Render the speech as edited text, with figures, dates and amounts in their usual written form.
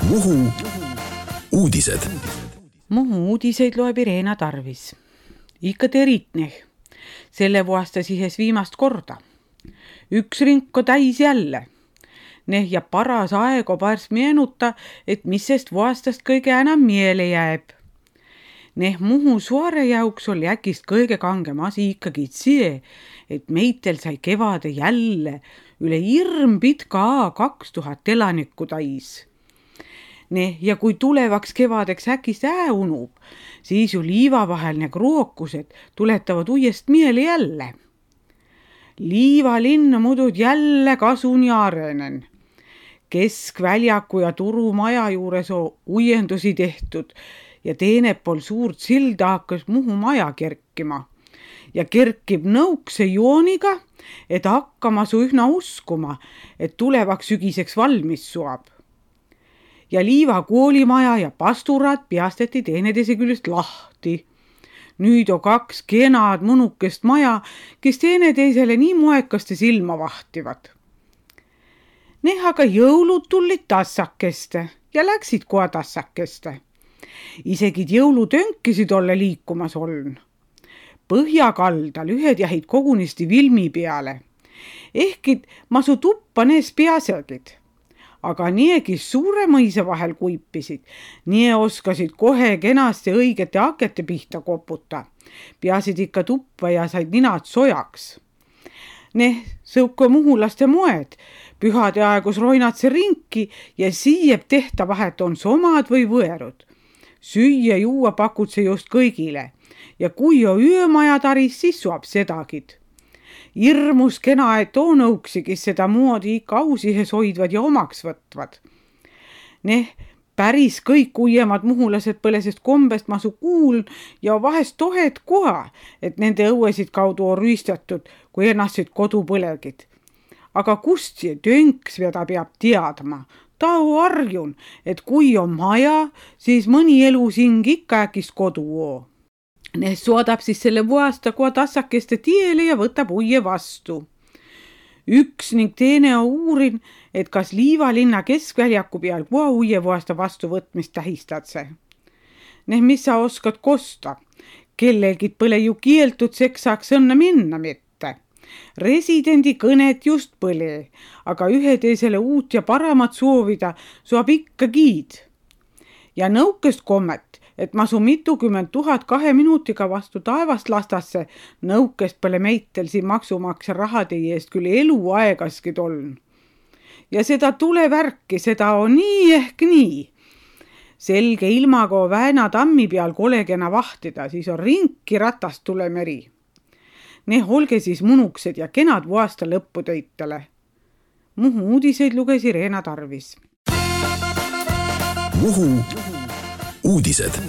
Muhu uudised. Muhu uudiseid loeb Irena Tarvis. Ikka teritneh. Selle vuosta sihes viimast korda. Üks rinko täis jälle. Neh ja paras aego pärs meenuta, et missest vuostast kõige enam miele jääb. Neh Muhu suare jauks oli äkist kõige kangem asi ikkagi see, et meitel sai kevade jälle üle hirm pitka 2000 elanikku täis. Ja kui tulevaks kevadeks äkist unub, siis ju liiva vahel need rookused tuletavad uuest miele jälle. Liivalinn mudud jälle kasuni arenen. Keskväljaku ja turumaja juures on uuendusi tehtud ja teenepool suurt silda hakkas Muhu maja kerkima. Ja kerkib nõukse jooniga, et hakkama su ühna uskuma, et tulevaks sügiseks valmis suab. Ja liiva koolimaja ja pasturad piasteti teeneteise küljest lahti. Nüüd on 2 kenad mõnukest maja, kes teeneteisele nii moekaste silma vahtivad. Aga jõulud tulid tassakeste ja läksid kohe tassakeste. Isegi jõulutönkisid olla liikumas oln. Põhjakaldal ühed jahid kogunisti Vilmi peale. Ehkid masu tuppa nees peasegid. Aga niegi suure mõisa vahel kuipisid, nii oskasid kohe kenasti õigete akete pihta koputa. Peasid ikka tuppa ja said ninad sojaks. Sõuka muhulaste moed, pühade aegus roinatse rinki ja siieb tehta vahet on somad või võerud. Süüa juua pakutse just kõigile ja kui on öömaja taris, siis suab sedagid. Irmus kena, et on õuksigi seda moodi ikka ausihes hoidvad ja omaks võtvad. Päris kõik uuemad muhulased põlesest kombest masu kuuln ja vahest tohed koha, et nende õuesid kaudu on rüüstatud, kui ennastsid kodu põlegid. Aga kust see tönks veda peab teadma? Ta on arjun, et kui on maja, siis mõni elusing ikka äkist kodu oo. Suodab siis selle vuosta kohe tassakeste tiele ja võtab uie vastu. Üks ning teine on uurin, et kas Liivalinna keskväljaku peal kohe uie vuosta vastu võtmist tähistadse. Mis sa oskad kosta? Kellelgid põle ju kieltud seks saaks õnne minna mitte. Residendi kõnet just põle, aga ühe teisele uut ja paramat soovida saab ikka giid. Ja nõukest kommet, et masu mitukümmend 000 2 minutiga vastu taevast lastasse, nõukest pole meitel siin maksumaksja rahade eest küll eluaegaskid oln. Ja seda tulevärki, seda on nii ehk nii. Selge ilmaga Väena tammi peal kolegena vahtida, siis on rinki ratast tulemeri. Olge siis munuksed ja kenad vuosta lõppu töitele. Muhu uudiseid luges Irena Tarvis. Muhu uudised.